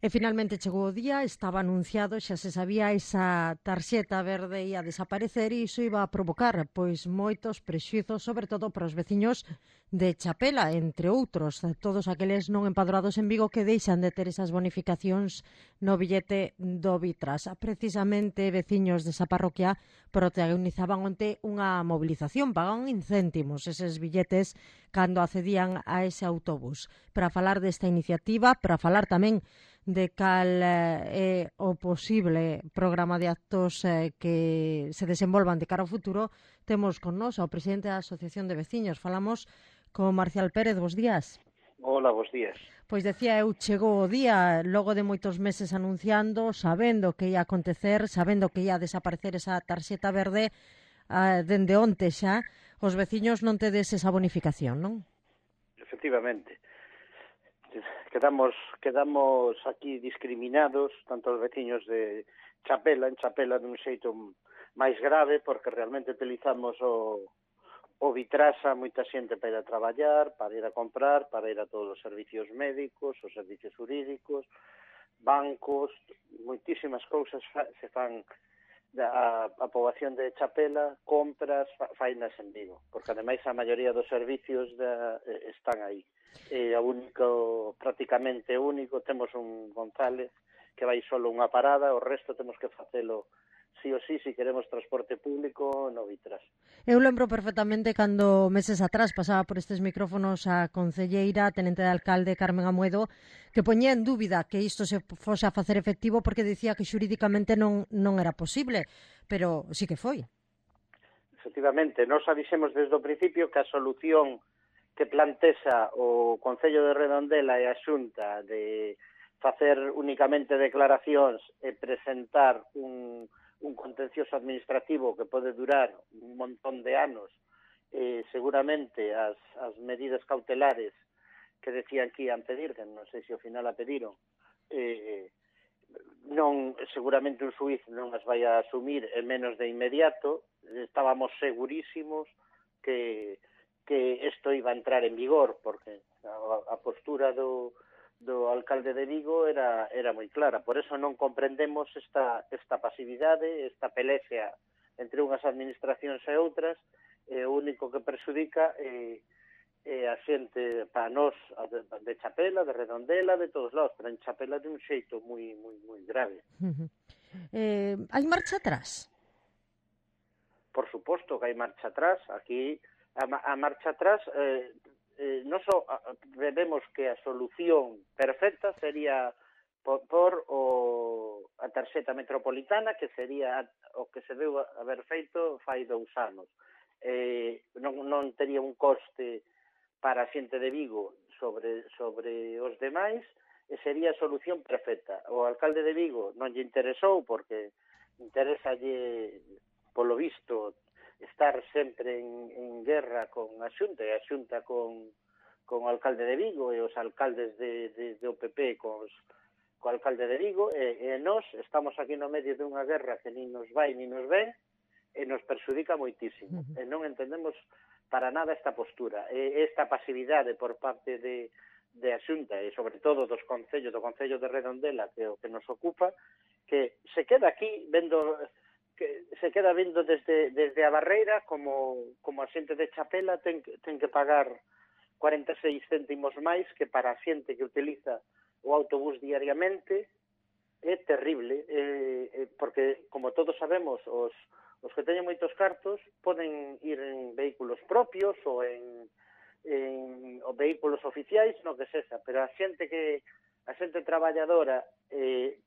E finalmente chegou o día, estaba anunciado, xa se sabía esa tarxeta verde ia desaparecer e iso iba a provocar pois moitos prexuizos, sobre todo para os veciños de Chapela, entre outros, todos aqueles non empadroados en Vigo que deixan de ter esas bonificacións no billete do Vitras. Precisamente veciños desa parroquia protagonizaban onte unha movilización, pagaban en céntimos eses billetes cando accedían a ese autobús. Para falar desta iniciativa, para falar tamén de cal é o posible programa de actos que se desenvolvan de cara ao futuro, temos con nós ao presidente da Asociación de Veciños. Falamos con Marcial Pérez. Bos días. Hola, bos días. Pois decía eu, chegou o día, logo de moitos meses anunciando, sabendo que ia acontecer, sabendo que ia desaparecer esa tarxeta verde, dende onte xa, os veciños non tedes esa bonificación, non? Efectivamente. Quedamos aquí discriminados, tanto os veciños de Chapela, en Chapela dun xeito máis grave, porque realmente utilizamos o Vitrasa, moita xente para ir a traballar, para ir a comprar, para ir a todos os servicios médicos, os servicios jurídicos, bancos, moitísimas cousas se fan a poboación de Chapela, compras, fainas en Vigo, porque ademais a maioría dos servicios están aí. Prácticamente único, temos un González que vai solo unha parada, o resto temos que facelo sí o sí, se queremos transporte público no Vitras. Eu lembro perfectamente cando meses atrás pasaba por estes micrófonos a concelleira, tenente de alcalde Carmen Amuedo, que poñía en dúbida que isto se fose a facer efectivo porque dicía que xurídicamente non era posible, pero sí que foi. Efectivamente, nós avisemos desde o principio que a solución que plantesa o Concello de Redondela e a Xunta de facer únicamente declaracións e presentar un contencioso administrativo que pode durar un montón de anos, seguramente as medidas cautelares que decían que ian pedir, que non sei se ao final a pediron, seguramente un xuiz non as vai a asumir en menos de inmediato. Estábamos segurísimos que isto iba a entrar en vigor, porque a postura do alcalde de Vigo era moi clara. Por eso non comprendemos esta pasividade, esta pelexia entre unhas administracións e outras. O único que perxudica é a xente, para nós, de Chapela, de Redondela, de todos lados, pero en Chapela de un xeito moi grave. Hai marcha atrás? Por suposto que hai marcha atrás. Aquí a marcha atrás, non só vemos que a solución perfecta sería por a tarxeta metropolitana, que sería o que se deu haber feito fai 2 anos. Non tería un coste para a xente de Vigo sobre os demais, e sería a solución perfecta. O alcalde de Vigo non lle interesou, porque interesalle, polo visto, estar sempre en guerra con a Xunta, e a Xunta con o alcalde de Vigo, e os alcaldes do PP co alcalde de Vigo, e nós estamos aquí no medio dunha guerra que nin nos vai nin nos ven, e nos perxudica moitísimo. E non entendemos para nada esta postura, esta pasividade por parte de a Xunta, e sobre todo do Concello de Redondela, que é o que nos ocupa, que se queda aquí vendo desde a barreira como a xente de Chapela ten que pagar 46 céntimos máis que para a xente que utiliza o autobús diariamente. É terrible, porque, como todos sabemos, os que teñen moitos cartos poden ir en vehículos propios ou en vehículos oficiais, no que sexa, pero a xente traballadora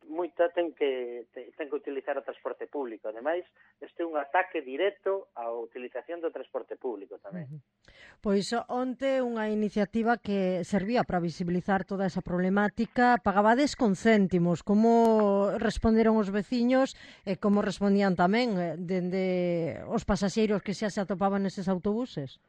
moita ten que utilizar o transporte público. Ademais, este é un ataque directo á utilización do transporte público tamén. Pois onte unha iniciativa que servía para visibilizar toda esa problemática. Pagabades con céntimos. Como responderon os veciños e como respondían tamén dende os pasaxeiros que xa se atopaban neses autobuses?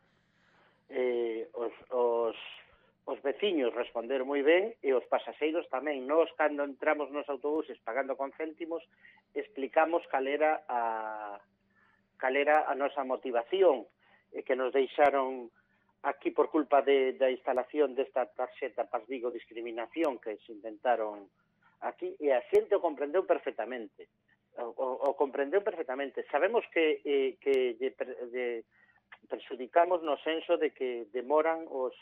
Os veciños responderon moi ben, e os pasaxeiros tamén. Nós, cando entramos nos autobuses pagando con céntimos, explicamos cal era a nosa motivación, que nos deixaron aquí por culpa da instalación desta tarxeta Paz Vigo Discriminación, que se intentaron Aquí, e a xente o comprendeu perfectamente. O comprendeu perfectamente. Sabemos que lle perxudicamos no senso de que demoran os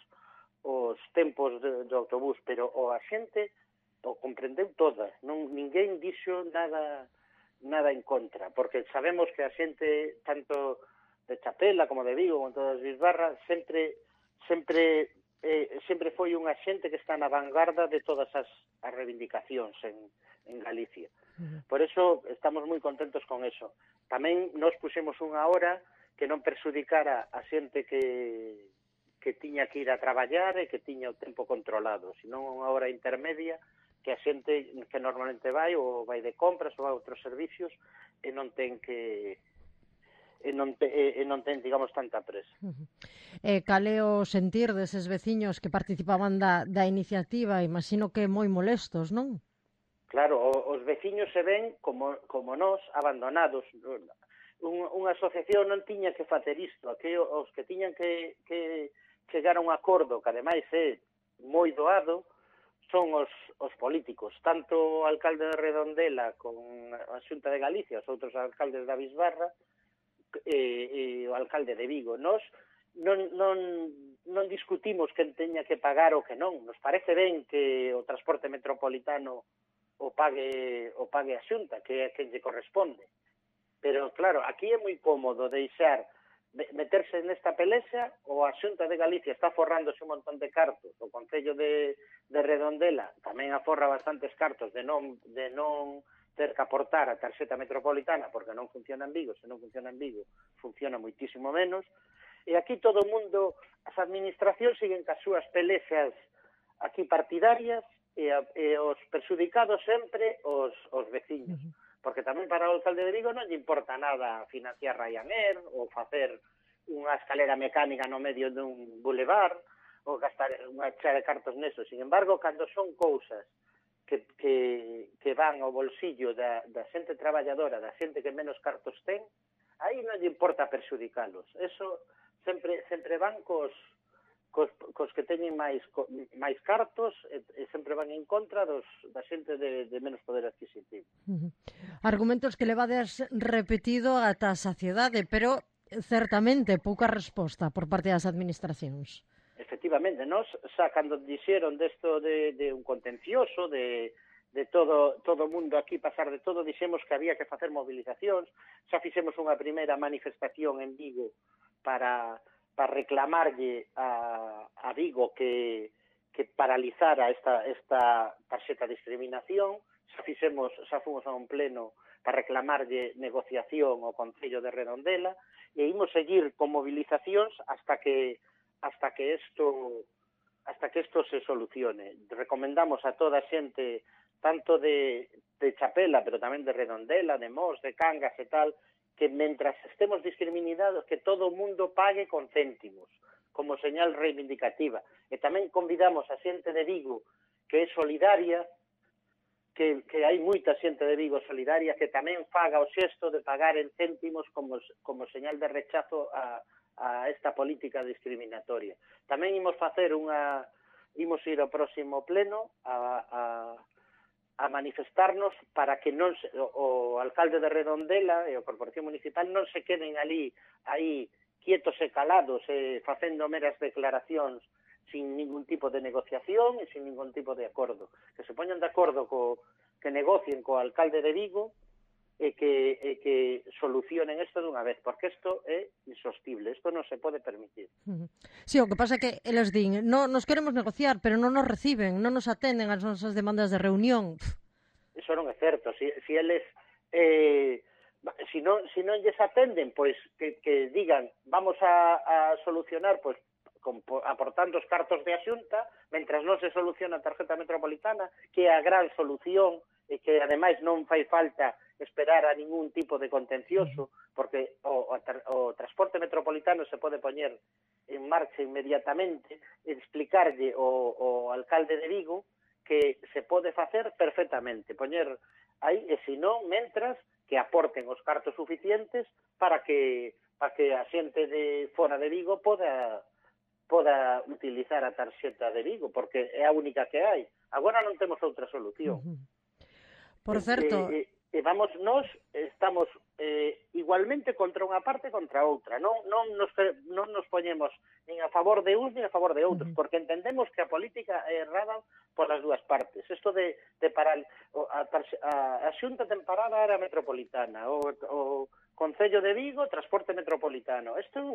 tempos do autobús, pero a xente o comprendeu toda. Ninguén dixo nada en contra, porque sabemos que a xente, tanto de Chapela como de Vigo, como todas as Bisbarra, sempre foi unha xente que está na vanguarda de todas as reivindicacións en Galicia. Por eso estamos moi contentos con eso. Tamén nos puxemos unha hora que non perxudicara a xente que tiña que ir a traballar e que tiña o tempo controlado, senón unha hora intermedia que a xente que normalmente vai de compras ou vai a outros servicios e non ten digamos, tanta presa. Cal é o sentir deses veciños que participaban da iniciativa? Imagino que moi molestos, non? Claro, os veciños se ven como nós, abandonados. Unha asociación non tiña que facer isto. Aquí os que tiñan que chegar a un acordo, que ademais é moi doado, son os políticos, tanto o alcalde de Redondela con a Xunta de Galicia, os outros alcaldes da Bisbarra, e o alcalde de Vigo. Nos non discutimos quen teña que pagar ou que non. Nos parece ben que o transporte metropolitano o pague a Xunta, que é quen lle corresponde. Pero, claro, aquí é moi cómodo meterse nesta pelexa, ou a Xunta de Galicia está forrándose un montón de cartos, o Concello de Redondela tamén aforra bastantes cartos de non ter que aportar a tarxeta metropolitana porque non funciona en Vigo. Se non funciona en Vigo, funciona moitísimo menos. E aquí todo o mundo, as administracións siguen cas súas pelexas aquí partidarias e os perxudicados sempre os veciños. Porque tamén para o alcalde de Vigo non lle importa nada financiar Ryanair ou facer unha escalera mecánica no medio dun boulevard ou gastar unha chea de cartos neso. Sin embargo, cando son cousas que van ao bolsillo da xente traballadora, da xente que menos cartos ten, aí non lle importa perxudicalos. Eso sempre van cos que teñen máis cartos e sempre van en contra da xente de menos poder adquisitivo. Argumentos que levades repetido ata a saciedade, pero certamente pouca resposta por parte das administracións. Efectivamente, nós xa cando dixeron desto de un contencioso, de todo o mundo aquí pasar de todo, dixemos que había que facer movilizacións, xa fixemos unha primeira manifestación en Vigo para reclamarlle a Vigo que paralizara esta tarxeta de discriminación, xa fomos a un pleno para reclamarlle negociación ao Concello de Redondela e imos seguir con movilizacións hasta que isto se solucione. Recomendamos a toda a xente, tanto de Chapela, pero tamén de Redondela, de Mos, de Cangas e tal, que mentras estemos discriminados, que todo o mundo pague con céntimos, como señal reivindicativa. E tamén convidamos a xente de Vigo, que é solidaria, que hai moita xente de Vigo solidaria, que tamén faga o xesto de pagar en céntimos como señal de rechazo a esta política discriminatoria. Tamén imos ir ao próximo pleno a manifestarnos para que non o alcalde de Redondela e a Corporación Municipal non se queden aí quietos e calados facendo meras declaracións sin ningún tipo de negociación e sin ningún tipo de acordo. Que se poñan de acordo que negocien co alcalde de Vigo e que solucionen isto dunha vez, porque isto é insostible, isto non se pode permitir. Sí, o que pasa é que eles din, nos queremos negociar, pero non nos reciben, non nos atenden as nosas demandas de reunión. Iso non é certo, si eles si non lles atenden, pois que digan, vamos a solucionar pois aportando os cartos de Xunta, mentras non se soluciona a tarjeta metropolitana, que é a gran solución e que ademais non fai falta esperar a ningún tipo de contencioso, porque o transporte metropolitano se pode poñer en marcha inmediatamente e explicarlle ao alcalde de Vigo que se pode facer perfectamente, poñer aí, e se non, mentras que aporten os cartos suficientes para que a xente de fora de Vigo poda utilizar a tarxeta de Vigo, porque é a única que hai. Agora non temos outra solución. Por certo... E vamos, nós estamos igualmente contra unha parte e contra outra. Non nos poñemos nin a favor de uns nin a favor de outros, porque entendemos que a política é errada polas dúas partes. Isto de parar a Xunta ten parada a área metropolitana, o Concello de Vigo, transporte metropolitano. Isto é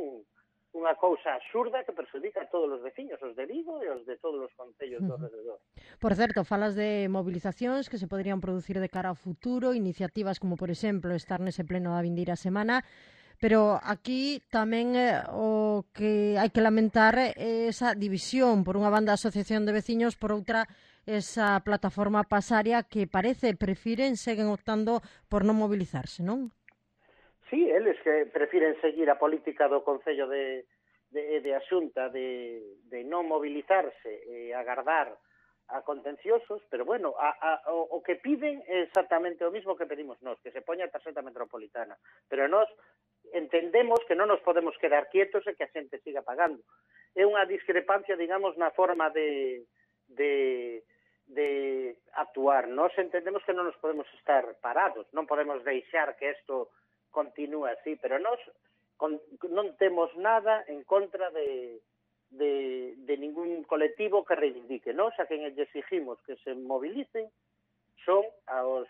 unha cousa absurda que perjudica a todos os veciños, os de Vigo e os de todos os concellos do alrededor. Por certo, falas de movilizacións que se poderían producir de cara ao futuro, iniciativas como, por exemplo, estar nese pleno da vindeira semana, pero aquí tamén o que hai que lamentar é esa división, por unha banda a Asociación de Veciños, por outra esa plataforma pasaria que parece seguen optando por non mobilizarse, non? Sí, eles que prefiren seguir a política do Concello de a Xunta de non mobilizarse e agardar a contenciosos, pero bueno, o que piden é exactamente o mismo que pedimos nós, que se poña a tarxeta metropolitana. Pero nós entendemos que non nos podemos quedar quietos e que a xente siga pagando. É unha discrepancia, digamos, na forma de actuar. Nós entendemos que non nos podemos estar parados, non podemos deixar que isto continúa así, pero nós non temos nada en contra de ningún colectivo que reivindique. Nós a quen lle exigimos que se mobilicen son aos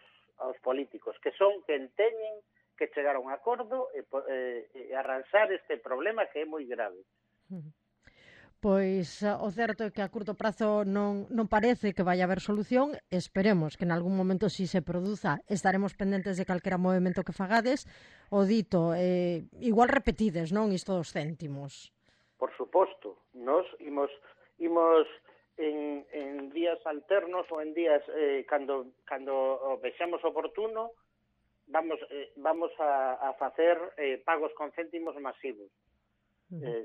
políticos, que son quen teñen que chegar a un acordo e arranxar este problema que é moi grave. Pois o certo é que a curto prazo non parece que vai haber solución. Esperemos que en algún momento si se produza. Estaremos pendentes de calquera movimento que fagades. O dito, igual repetides, non, isto dos céntimos. Por suposto. Nos imos en días alternos ou en días cando vexamos oportuno vamos a facer pagos con céntimos masivos.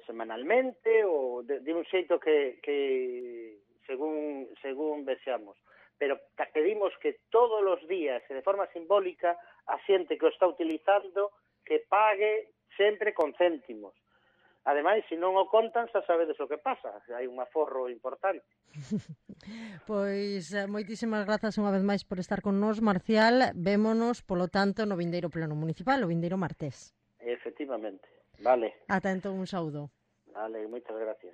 Semanalmente ou de un xeito que según vexamos. Pero pedimos que todos os días e de forma simbólica a xente que o está utilizando que pague sempre con céntimos. Ademais, se non o contan, xa sabedes o que pasa. Hai un aforro importante. Pois moitísimas grazas unha vez máis por estar con nós, Marcial. Vémonos, polo tanto, no vindeiro pleno municipal, o vindeiro martes. Efectivamente. Vale. Ata entón, un saúdo. Vale, moitas gracias.